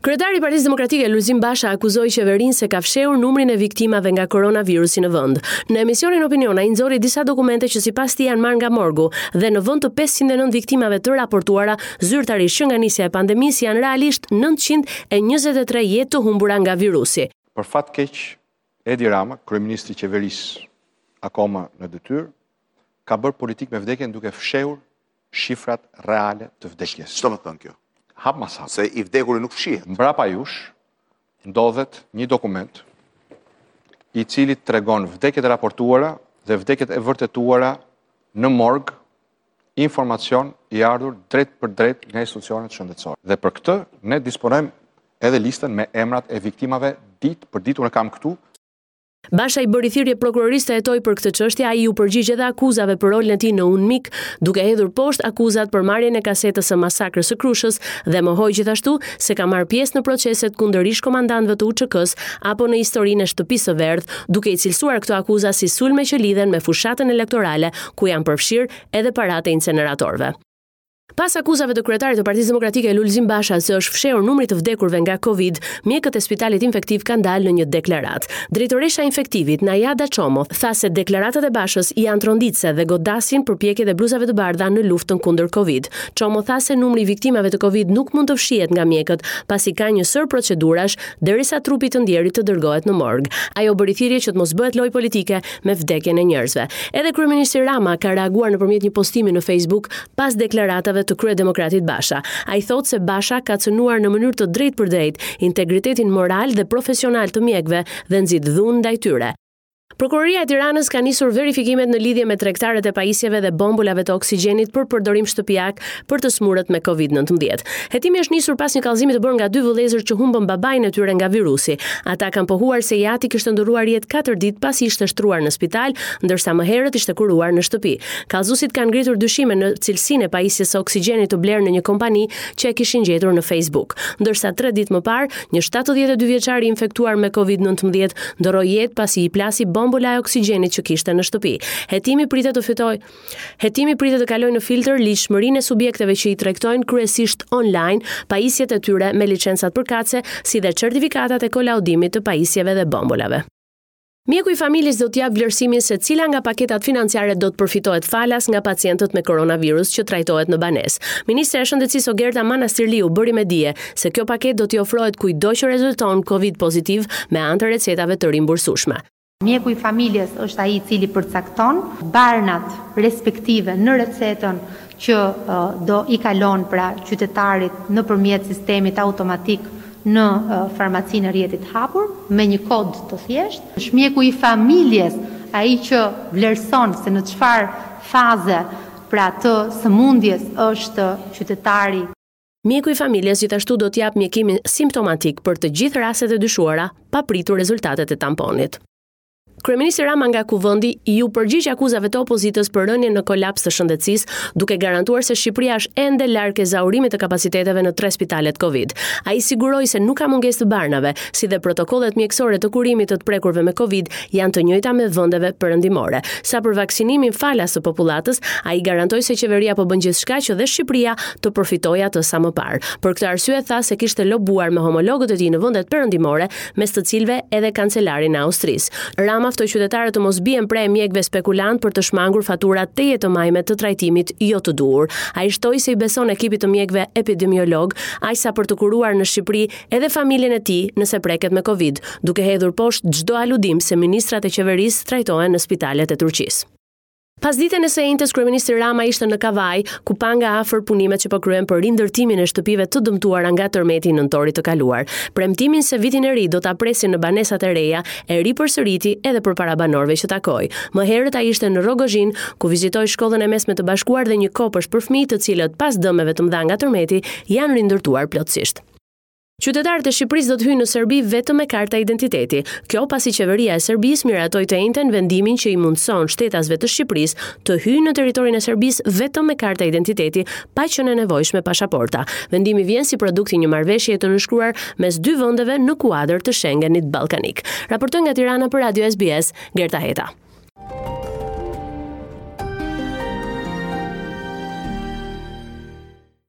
Kryetari i Partisë Demokratike Lulzim Basha akuzoi qeverinë se ka fshehur numrin e viktimave nga koronavirusi në vend. Në emisionin Opinion ai nxori disa dokumente që sipas tij janë marrë nga morgu dhe në vend të 509 viktimave të raportuara zyrtarisht që nga nisja e pandemisë janë realisht 923 jetë të humbura nga virusi. Për fat keq, Edi Rama, kryeministri i qeverisë akoma në detyrë, ka bërë politikë me vdekjen duke fshehur shifrat reale të vdekjes. Ç'do me thënë kjo? Hap mas hap. Se i vdekuri nuk fshihet. Mbrapa jush ndodhet një dokument i cili tregon vdekjet e raportuara dhe vdekjet e vërtetuara në morg, informacion i ardhur drejtpërdrejt nga institucionet shëndetësore. Dhe për këtë ne disponojmë edhe listën me emrat e viktimave ditë për ditë, unë e kam këtu. Basha i bëri thirrje prokurorisë të hetojë për këtë çështje, ai iu përgjigj edhe akuzave për rolin e tij në UNMIK, duke hedhur poshtë akuzat për marrjen e kasetës së masakrës së Krushës dhe mohoi gjithashtu se ka marrë pjesë në proceset kundër ish-komandantëve të UÇK-së apo në historinë e Shtëpisë së Verdhë, duke i cilësuar këto akuza si sulme që lidhen me fushatën elektorale ku janë përfshirë edhe paratë e inceneratorëve. Pas akuzave të kryetarit të Partisë Demokratike Lulzim Basha se është fshehur numri i të vdekurve nga Covid, mjekët e Spitalit Infektiv kanë dalë në një deklaratë. Drejtoresha e Infektivit, Najada Çomo, tha se deklaratat e Bashës janë tronditëse dhe godasin përpjekjet e bluzave të bardha në luftën kundër Covid. Çomo tha se numri i viktimave të Covid nuk mund të fshihet nga mjekët, pasi ka një sërë procedurash derisa trupi i të ndjerit të dërgohet në morg. Ajo bëri thirrje që të mos bëhet lojë politike me vdekjen e njerëzve. Edhe kryeministri Rama ka reaguar nëpërmjet një postimi në Facebook pas deklaratave të kryedemokratit Basha. Ai thotë se Basha ka cënuar në mënyrë të drejtpërdrejtë integritetin moral dhe profesional të mjekëve dhe nxit dhunë ndaj tyre. Prokuroria e Tiranës ka nisur verifikimet në lidhje me tregtarët e pajisjeve dhe bombolave të oksigjenit për përdorim shtëpiak për të sëmurët me Covid-19. Hetimi është nisur pas një kallëzimi të bërë nga dy vëllezër që humbën babain e tyre nga virusi. Ata kanë pohuar se i ati kishte ndërruar jetë katër ditë pasi ishte shtruar në spital, ndërsa më herët ishte kuruar në shtëpi. Kallëzuesit kanë ngritur dyshime në cilësinë e pajisjes së oksigjenit të blerë në një kompani që e kishin gjetur në Facebook. Ndërsa tre ditë më parë, një 72 vjeçar i infektuar me Covid-19 ndërroi jetë pasi i plasi bombola e oksigjenit që kishte në shtëpi. Hetimi pritet të fitojë Hetimi pritet të kalojë në filtër ligjshmërinë e subjekteve që i tregtojnë kryesisht online pajisjet e tyre me licencat përkatëse, si dhe certifikatat e kolaudimit të pajisjeve dhe bombolave. Mjeku i familjes do të japë vlerësimin se cila nga paketat financiare do të përfitohet falas nga pacientët me koronavirus që trajtohet në banesë. Ministrja e Shëndetësisë Ogerta Manastirliu bëri me dije se kjo paketë do t'i ofrohet kujtdo që rezulton Covid pozitiv me anë të recetave të rimbursueshme. Mjeku i familjes është ai i cili përcakton barnat respektive në recetën që do i kalon pra qytetarit nëpërmjet sistemit automatik në farmacinë e rrjetit të hapur me një kod të thjeshtë. Është mjeku i familjes ai që vlerëson se në çfarë faze pra të sëmundjes është qytetari. Mjeku i familjes gjithashtu do të japë mjekimin simptomatik për të gjithë rastet e dyshuara, pa pritur rezultatet e tamponit. Kryeministri Rama nga Kuvendi iu përgjigj akuzave të opozitës për rënien në kolaps të shëndetësisë, duke garantuar se Shqipëria është ende larg ezaurimit të kapaciteteve në tre spitalet Covid. Ai siguroi se nuk ka mungesë të barnave, si dhe protokollet mjekësore të kurimit të të prekurve me Covid janë të njëjta me vendeve perëndimore. Sa për vaksinimin falas të popullatës, ai garantoi se qeveria po bën gjithçka që dhe Shqipëria të përfitojë atë sa më parë. Për këtë arsye tha se kishte lobuar me homologët e tij në vendet perëndimore mes të cilëve edhe kancelarin e Austrisë. Rama ftoi qytetarët të mos bien pre e mjekëve spekulantë për të shmangur faturat tejet të majme të trajtimit jo të duhur. Ai shtoi se i beson ekipit të mjekëve epidemiologë, aq sa për të kuruar në Shqipëri edhe familjen e tij nëse preket me Covid, duke hedhur poshtë çdo aludim se ministrat e qeverisë trajtohen në spitalet e Turqisë. Pasditen e së enjtes kryeministri Rama ishte në Kavajë, ku pa nga afër punimet që po kryhen për rindërtimin e shtëpive të dëmtuara nga tërmeti i nëntorit të kaluar. Premtimin se vitin e ri do ta presin në banesat e reja e ripërsëriti edhe përpara banorëve që takoi. Më herët ai ishte në Rrogozhinë, ku vizitoi shkollën e mesme të bashkuar dhe një kopësht për fëmijë të cilët pas dëmeve të mëdha nga tërmeti janë rindërtuar plotësisht. Qytetarët e Shqipërisë do të hyjnë në Serbi vetëm me karta identiteti. Kjo pasi qeveria e Serbisë miratoi të enjten vendimin që i mundëson shtetasve të Shqipërisë të hyjnë në territorin e Serbisë vetëm me karta identiteti, pa qenë e nevojshme pashaporta. Vendimi vjen si produkt i një marrëveshjeje të nënshkruar mes dy vendeve në kuadër të Schengenit Ballkanik. Raportoi nga Tirana për Radio SBS, Gerta Heta.